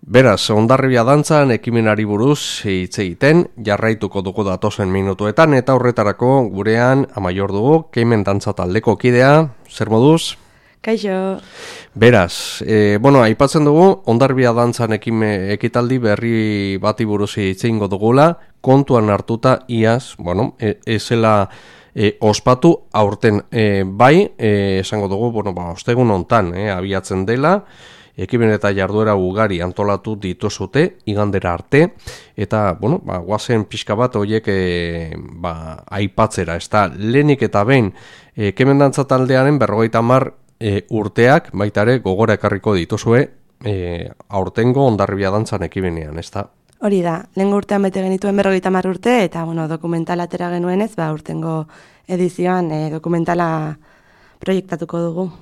Beraz, Hondarribia dantzan ekimenari buruz hitz egiten jarraituko dugu datozen minutuetan eta horretarako gurean amaior dugu Keimen dantza taldeko kidea, zer moduz? Kaixo. Beraz, aipatzen dugu Hondarribia dantzan ekitaldi berri bati buruz hitz egingo dugula, kontuan hartuta iaz, ezela ospatu aurten esango dugu, ostegun hontan abiatzen dela. Ekimen eta jarduera ugari antolatu dituzute igandera arte eta goazen pixka bat horiek aipatzera, ezta lehenik eta behin Keimen dantza taldearen 50 urteak baita ere gogora ekarriko dituzue aurtengo Hondarribia dantzan ekimenean, ezta? Hori da, lehengo urtean bete genituen 50 urte eta dokumentala atera genuenez, aurtengo edizioan dokumentala proiektatuko dugu.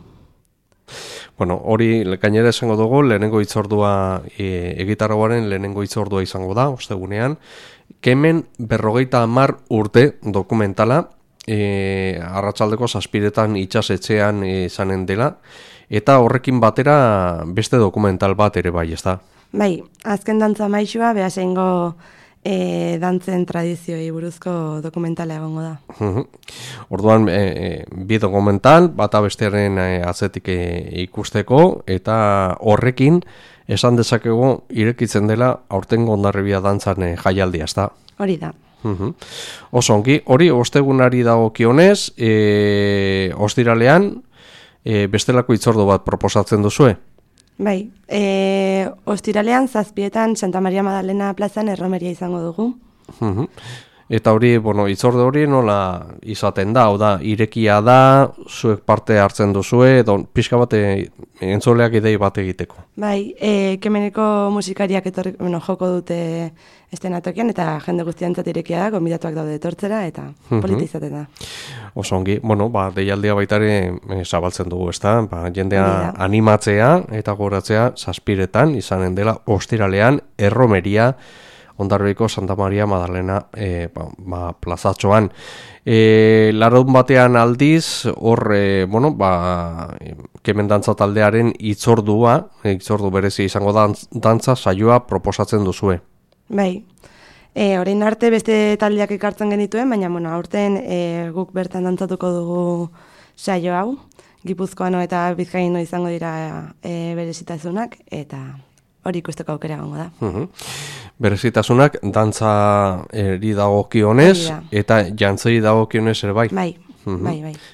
Hori gainera esango dugu, lehenengo hitzordua egitarauaren lehenengo hitzordua izango da, ostegunean. Keimen 50 urte dokumentala, arratsaldeko 7 itsasetxean izanen dela, eta horrekin batera beste dokumental bat ere bai, ezta? Bai, azken dantza maixua, behaseingo dantzen tradizioi buruzko dokumentala egongo da. Orduan, bi dokumental, bata bestearen atzetik ikusteko, eta horrekin esan dezakegu irekitzen dela aurtengo Hondarribia dantzan jaialdia, ezta? Hori da. Oso ongi, hori ostegunari dagokionez, ostiralean bestelako hitzordu bat proposatzen duzue? Bai, ostiralean 7 Santa Maria Madalena plazan erromeria izango dugu. Eta hori, hitzorde hori nola izaten da, hau da, irekia da, zuek parte hartzen duzue, edo pixka bat entzoleak idei bat egiteko. Bai, Keimeneko musikariak joko dute estenatokian, eta jende guztiantzat irekia da, gonbidatuak daude etortzera, eta polita izaten da. Oso ongi, deialdia baitare zabaltzen dugu, ezta? Jendea animatzea eta goratzea 7 izanen dela ostiralean erromeria Hondarribiko Santa Maria Madalena plazatxoan. Larun batean aldiz, hor, Keimen dantza taldearen hitzordu berezi izango dantza saioa proposatzen duzue. Bai, orain arte beste taldeak ekartzen genituen, baina aurten guk bertan dantzatuko dugu saio hau, Gipuzkoano eta Bizkaino izango dira berezitasunak, eta hori ikusteko aukera egongo da. Berezitasunak dantza dagokionez eta jantzei dagokionez ere bai? Bai.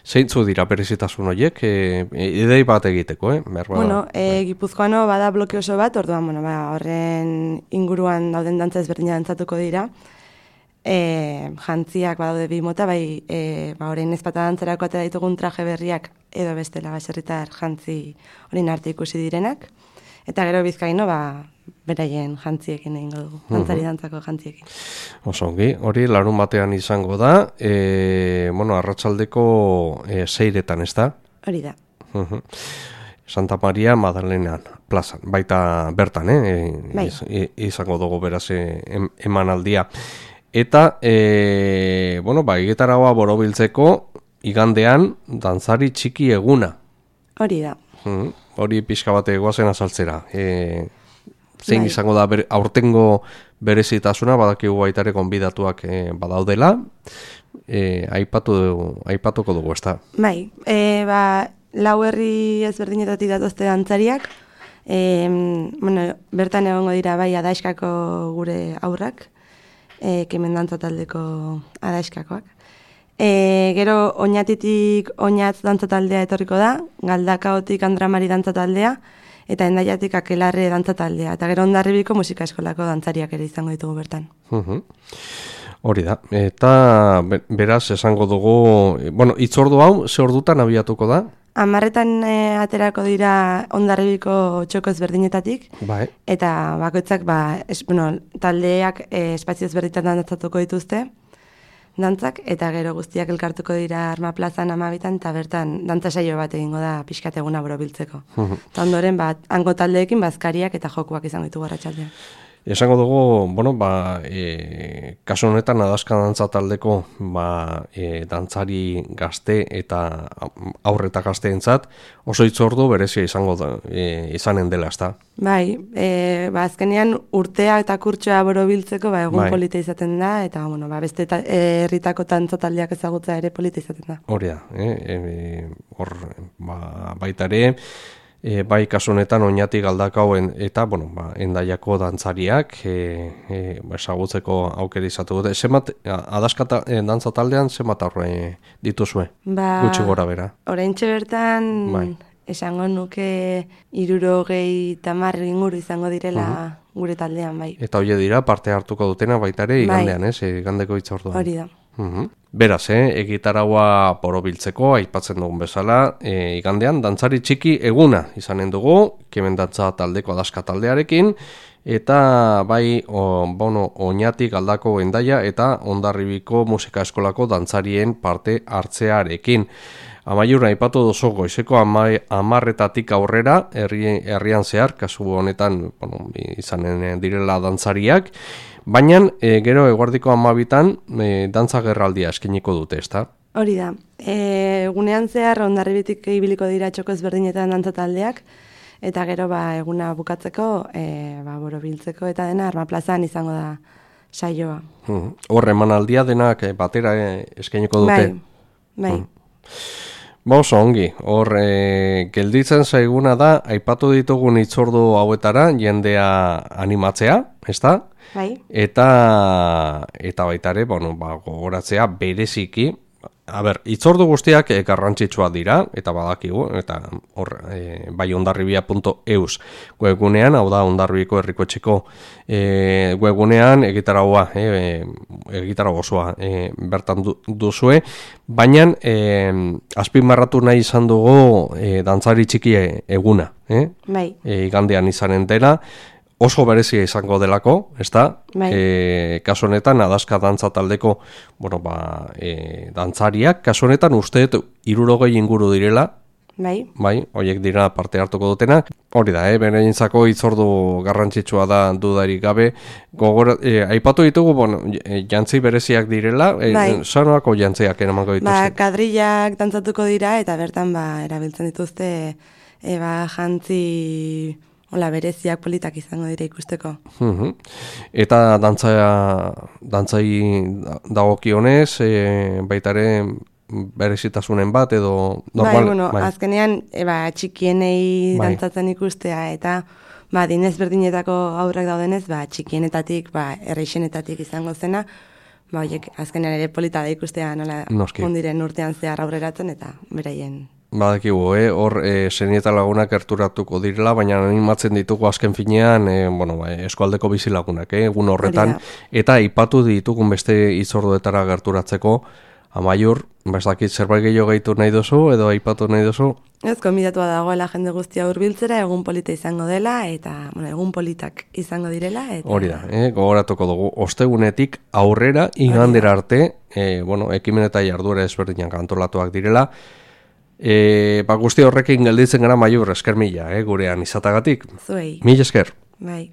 Zeintzu dira berezitasun horiek? Idei bat egiteko, Gipuzkoano bada bloke oso bat, orduan, horren inguruan dauden dantza ezberdina dantzatuko dira. Jantziak badaude 2 mota, orain ezpata dantzerako atera ditugun traje berriak edo bestela baserritar jantzi horien arte ikusi direnak. Eta gero Bizkaino, beraien jantziekin egingo dugu, dantzari dantzako jantziekin. Oso ongi, hori larun batean izango da, arratsaldeko 6 ez da? Hori da. Santa Maria Madalenan plazan, baita bertan, izango dugu beraz emanaldia. Eta, egitaragua borobiltzeko igandean dantzari txiki eguna. Hori da. Hori pixka bat goazen azaltzera. Zein izango da aurtengo berezitasuna, badakigu baitare gonbidatuak badaudela, aipatuko dugu, ezta? Bai, 4 herri ezberdinetatik datozte dantzariak, bertan egongo dira bai Adaiskako gure aurrak, Keimen dantza taldeko Adaiskakoak. Gero Oñatitik Oñatz dantza taldea etorriko da, Galdakaotik Andramari dantza taldea, eta Hendaiatik Akelarre dantza taldea, eta gero Hondarribiko musika eskolako dantzariak ere izango ditugu bertan. Hori da, eta beraz esango dugu, hitzordu hau, ze ordutan abiatuko da? 10 aterako dira Hondarribiko txoko ezberdinetatik, eta bakoitzak taldeak espazio ezberdinetan dantzatuko dituzte, dantzak, eta gero guztiak elkartuko dira Arma plazan 12 eta bertan dantza saio bat egingo da pixkat eguna borobiltzeko. Eta ondoren, hango taldeekin bazkariak eta jokuak izango ditugu arratsaldean. Esango dugu, bueno, kasu honetan adaska dantza taldeko dantzari gazte eta aurreta gazteentzat oso hitzordu berezia izango da, izanen dela, ezta? Bai, azkenean urtea eta kurtsoa borobiltzeko egun polita izaten da, eta beste herritako dantza taldeak ezagutza ere polita izaten da. Hori da, hor baita ere, bai kasu honetan Oñati Galdakaoen eta Hendaiako dantzariak ezagutzeko aukera izatu dute. Zenbat adaska dantza taldean zenbat aurre dituzue? Gutxi gora bera. Oraintxe bertan esango nuke 70 inguru izango direla gure taldean, bai. Eta hoe dira parte hartuko dutena baita ere igandean, igandeko hitzorduan. Hori da. Beraz, egitaraua borobiltzeko aipatzen dugun bezala, igandean dantzari txiki eguna izanen dugu, Kemen dantza taldeko adaska taldearekin, eta bai Oñati Galdako Hendaia eta Hondarribiko musika eskolako dantzarien parte hartzearekin. Amaiur aipatu duzu goizeko 10:00 aurrera herrian zehar, kasu honetan izanen direla dantzariak, baina gero eguerdiko 12:00 dantza gerraldia eskiniko dute, ezta? Hori da. Egunean zehar Hondarribitik ibiliko dira txoko ezberdinetan dantza taldeak, eta gero eguna bukatzeko, borobiltzeko eta dena Arma plazan izango da saioa. Hor emanaldia denak batera eskiniko dute? Bai. Oso ongi, hor gelditzen zaiguna da, aipatu ditugun hitzordu hauetara jendea animatzea, ezta? Bai. Eta baita ere, gogoratzea bereziki, hitzordu guztiak garrantzitsua dira, eta badakigu, eta hor bai hondarribia.eus webgunean, hau da Hondarribiko herrikoetxeko webgunean egitarau osoa bertan duzue, baina azpimarratu nahi izan dugu dantzari txiki eguna, bai. Igandean izanen dela, oso berezia izango delako, ezta? Kasu honetan adaska dantza taldeko, dantzariak, kasu honetan uste 60 inguru direla. Bai, horiek dira parte hartuko dutena. Hori da, berentzako hitzordu garrantzitsua da dudarik gabe. Aipatu ditugu, jantzi bereziak direla, sanoako jantziak eramango dituzte. Kadrillak dantzatuko dira eta bertan erabiltzen dituzte jantzi bereziak politak izango dira ikusteko. Eta dantzai dagokionez, baita ere berezitasunen bat edo normal? Azkenean txikienei dantzatzen ikustea eta dinez berdinetako aurrak daudenez, txikienetatik, erreixenetatik izango zena, azkenean ere polita da ikustea nola ondiren urtean zehar aurreratzen eta beraien. Badakigu, hor senieta lagunak gerturatuko direla, baina animatzen ditugu azken finean, eskualdeko bizilagunak, egun horretan, eta aipatu ditugun beste hitzorduetara gerturatzeko, Amaiur, dakit zerbait gehiago gehitu nahi duzu, edo aipatu nahi duzu? Ez, konbidatua dagoela jende guztia hurbiltzera, egun polita izango dela, eta egun politak izango direla. Hori da, gogoratuko dugu, ostegunetik aurrera, igandera arte, ekimen eta jarduera ezberdinak antolatuak direla, guzti horrekin gelditzen gara Amaiur, esker mila, gurean izatagatik. Zuei. Mila esker. Bai.